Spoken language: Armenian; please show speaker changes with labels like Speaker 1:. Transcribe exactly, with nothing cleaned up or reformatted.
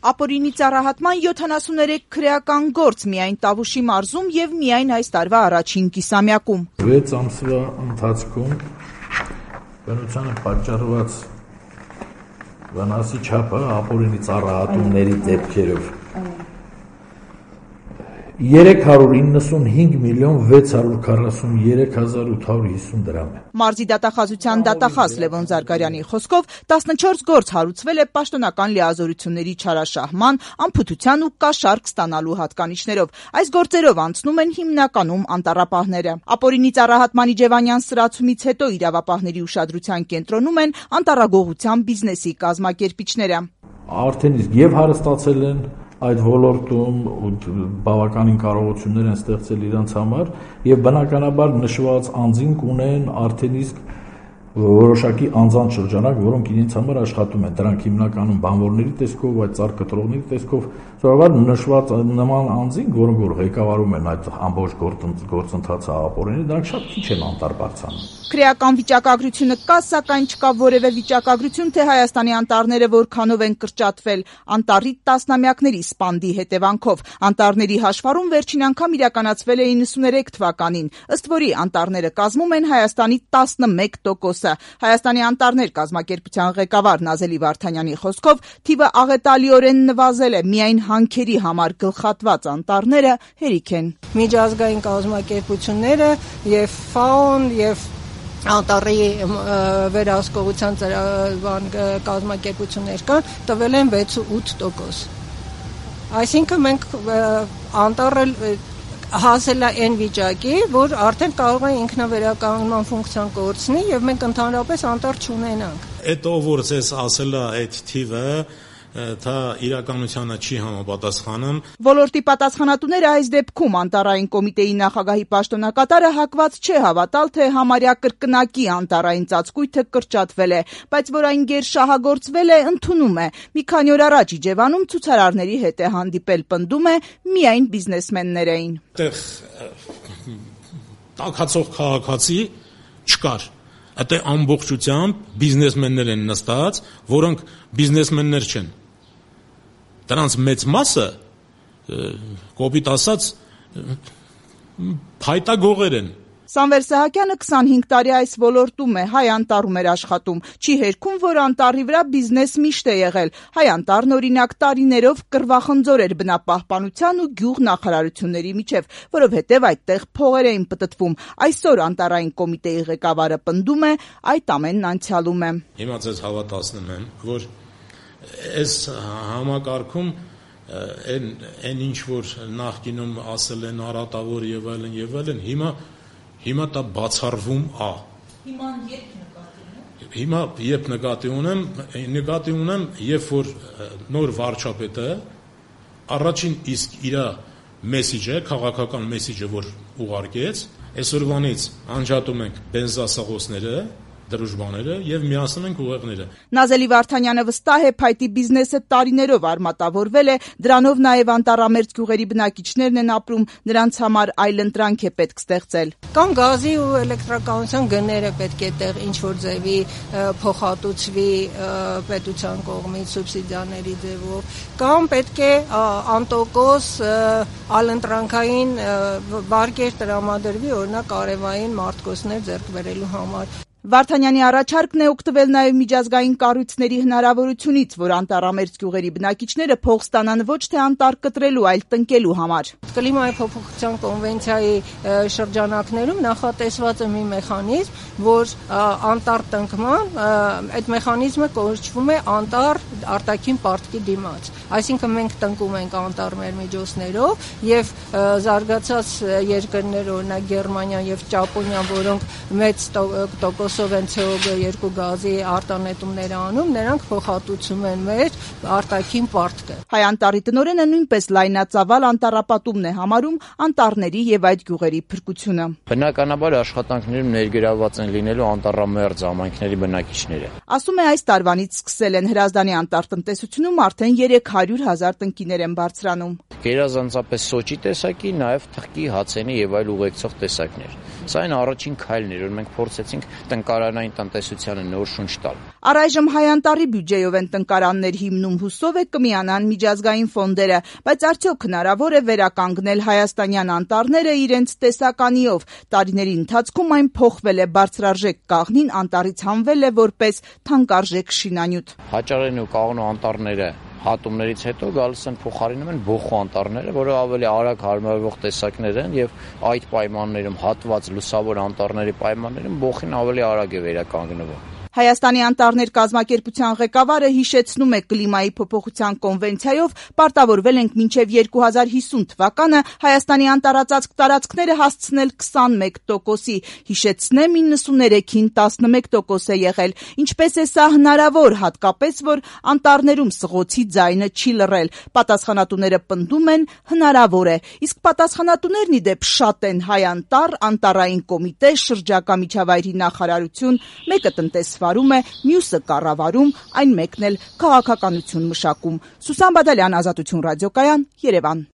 Speaker 1: Ապօրինի ծառահատման յոթանասուններեք քրեական գործ միայն Տավուշի մարզում եւ միայն այս տարվա առաջին կիսամյակում։
Speaker 2: վեց ամսվա ընթացքում բնությանը պատճառված վնասի չափը ապօրինի ծառահատումների դեպքերով երեք հարյուր իննսունհինգ միլիոն վեց հարյուր քառասուներեք հազար ութ հարյուր հիսուն դրամ է։
Speaker 1: Մարզի դատախազության դատախազ Լևոն Զարգարյանի խոսքով տասնչորս գործ հարուցվել է պաշտոնական լիազորությունների չարաշահման, անփութության ու կաշառք ստանալու հատկանիշներով։ Այս գործերով անցնում են հիմնականում անտառապահները։ Ապօրինի ծառահատման իջևանյան սրացումից հետո իրավապահների ուշադրության կենտրոնում են անտառագողության բիզնեսի կազմակերպիչները։
Speaker 2: Արդեն իսկ եւ հարստացել են այդ ոլորտում բավականին կարողություններ են ստեղծել իրենց համար եւ բնականաբար նշված անձին կունեն արդեն իսկ որոշակի անձանց շրջանակ, որոնք իրենց համար աշխատում են, դրանք հիմնականում բանվորների տեսքով, այդ ծառ կտրողների տեսքով, սովորաբար նշված նման անձին, որոնք որ ղեկավարում են այդ ամբողջ գործընթացը ապօրինի, դրանք շատ քիչ են անտառ բարձրանում։
Speaker 1: Քրեական վիճակագրությունը կա, սակայն չկա որևէ վիճակագրություն, թե Հայաստանի անտառները որքանով են կրճատվել անտառի տասնամյակների սպանդի հետևանքով։ Անտառների հաշվառում վերջին անգամ իրականացվել է իննսուներեք թվականին, ըստ որի անտառները կազմում են Հայաստանի տասնմեկ տոկոսը։ Հայաստանի անտառներ կազմակերպության ղեկավար Նազելի Վարդանյանի խոսքով թիվը աղետալիորեն նվազել է, միայն հանքերի համար գլխատված անտառները հերիք են։
Speaker 3: Միջազգային կազմակերպությունները եւ ֆաոն եւ անտառի վերահսկողության կազմակերպություններ կան, տվել են վեց ու ութ տոկոս։ Այսինքն մենք անտառը հասել է այն վիճակի, որ արդեն կարող է ինքնավերականգնման ֆունկցիան կորցնի եւ մենք ընդհանրապես անտառ չունենանք։
Speaker 4: Այդ ով որ ցես ասել է այդ թիվը դա իրականությանը չի համապատասխանում։
Speaker 1: Ոլորտի պատասխանատուները այս դեպքում անտառային կոմիտեի նախագահի պաշտոնակատարը հակված չէ հավատալ, թե համարյա կրկնակի անտառային ծածկույթը կրճատվել է, բայց որ այն գերշահագործվել է, ընդունում է։ Մի քանի օր առաջ Իջևանում ցուցարարների հետ է հանդիպել, պնդում է, միայն բիզնեսմեններ էին։
Speaker 4: Այդտեղ տաքացող քաղաքացի չկար։ Այդ ամբողջությամբ բիզնեսմեններ են նստած, որոնք բիզնեսմեններ չեն։ Դրանց մեծ մասը, կոպիտ ասած, փայտագողեր են։
Speaker 1: Սամվել Սահակյանը քսանհինգ տարի այս ոլորտում է, Հայ անտառում էր աշխատում։ Չի հերքում, որ անտառի վրա բիզնես միշտ է եղել։ Հայ անտառն օրինակ տարիներով կռվախնձոր էր բնապահպանության ու գյուղ նախարարությունների միջև, որովհետև այդտեղ փողեր էին պտտվում։ Այսօր անտառային կոմիտեի ղեկավարը պնդում է, այդ ամենն անցյալում է։
Speaker 4: Հիմա ձեզ հավատացնում եմ, որ այս համակարգում այն այն ինչ որ նախկինում ասել են արատավոր եւ այլն եւ այլն, հիմա Հիմա դա բացառվում է։
Speaker 1: Հիմա երբ նկատի ունեմ։
Speaker 4: Հիմա երբ նկատի ունեմ, նկատի ունեմ, երբ որ նոր վարչապետը առաջին իսկ իր մեսիջը, քաղաքական մեսիջը, որ ուղարկեց, այսօրվանից անջատում ենք բենզասաղոցները, դրուժբաները եւ միացնում ենք ուղեղները։
Speaker 1: Նազելի Վարդանյանը վստահ է, փայտի բիզնեսը տարիներով արմատավորվել է, դրանով նաեւ անտառամերձ գյուղերի բնակիչներն են ապրում, նրանց համար այլընտրանք է պետք ստեղծել։
Speaker 3: Կամ գազի ու էլեկտրականության գները պետք է տեղ ինչ որ ձևի փոխհատուցվի պետության կողմից սուբսիդիաների ձևով, կամ պետք է անտոկոս այլընտրանքային վարկեր տրամադրվի, օրինակ արևային մարտկոցներ ձեռք բերելու համար։
Speaker 1: Վարդանյանի առաջարկն է օգտվել նաև միջազգային կառույցների հնարավորությունից, որ անտառամերձ գյուղերի բնակիչները փող ստանան ոչ թե անտառ կտրելու, այլ տնկելու համար։
Speaker 3: Կլիմայի փոփոխության կոնվենցիայի շրջանակներում նախատեսված է մի մեխանիզմ, որ անտառ տնկման այդ մեխանիզմը կոչվում է անտառ արտաքին պարտքի դիմաց։ Այսինքն մենք տնկում ենք անտառ մեր միջոցներով եւ զարգացած երկրներ, օրինակ Գերմանիան եւ Ճապոնիան, որոնք մեծ տոկոսով են ցե օ երկու գազի արտանետումներ անում, նրանք փոխհատուցում են մեր արտաքին պարտքը։
Speaker 1: Հայ անտառի տնօրենը նույնպես լայնածավալ անտառապատումն է համարում անտառների եւ այդ գյուղերի փրկությունը։
Speaker 5: Բնականաբար աշխատանքներում ներգրավված են լինելու անտառամերձ համայնքների բնակիչները։
Speaker 1: Ասում է, այս տարվանից սկսել են Հրազդանի անտառտնտեսությունում արդեն երեք հարյուր հազար տնկիներ են բարձրանում։
Speaker 5: Գերազանցապես սոճի տեսակի, նաեւ թխկի, հացենի եւ այլ ուղեկցող տեսակներ։ Սա այն առաջին քայլն էր, որ մենք փորձեցինք տնկարանային տնտեսությանը նոր շունչ տալ։
Speaker 1: Առայժմ Հայ Անտառի բյուջեով են տնկարաններ հիմնում, հուսով է կմիանան միջազգային ֆոնդերը, բայց արդյոք հնարավոր է վերականգնել հայաստանյան անտառները իրենց տեսականիով։ Տարիների ընթացքում այն փոխվել է, բարձրարժեք կաղնին անտառից հանվել է որպես թանկարժեք շինանյութ։
Speaker 5: Հաճարեն ու կաղնու անտառները հատումներից հետո գալիս են փոխարինում են բոխու անտառները, որը ավելի արագ հարմարվող տեսակներ են եւ այդ պայմաններում հատված լուսավոր անտառների պայմաններում բոխին ավելի արագ է վերականգնվում։
Speaker 1: Հայաստանի անտառներ կազմակերպության ղեկավարը հիշեցնում է կլիմայի փոփոխության կոնվենցիայով պարտավորվել ենք մինչև երկու հազար հիսուն թվականը Հայաստանի անտառածածկ տարածքները հասցնել քսանմեկ տոկոսի, հիշեցնեմ իննսուններեքին տասնմեկ տոկոս է եղել։ Ինչպես է սա հնարավոր, հատկապես որ անտառներում սղոցի ձայնը չի լռել։ Պատասխանատուները պնդում են հնարավոր է, իսկ պատասխանատուներն ի դեպ շատ են՝ Հայ Անտառ, Անտառային կոմիտե, շրջակա միջավայրի նախարարություն, մեկը տնտես վարում է, մյուսը կառավարում, այն մեկն էլ քաղաքականություն մշակում։ Սուսան Բադալյան, Ազատություն ռադիոկայան, Երևան։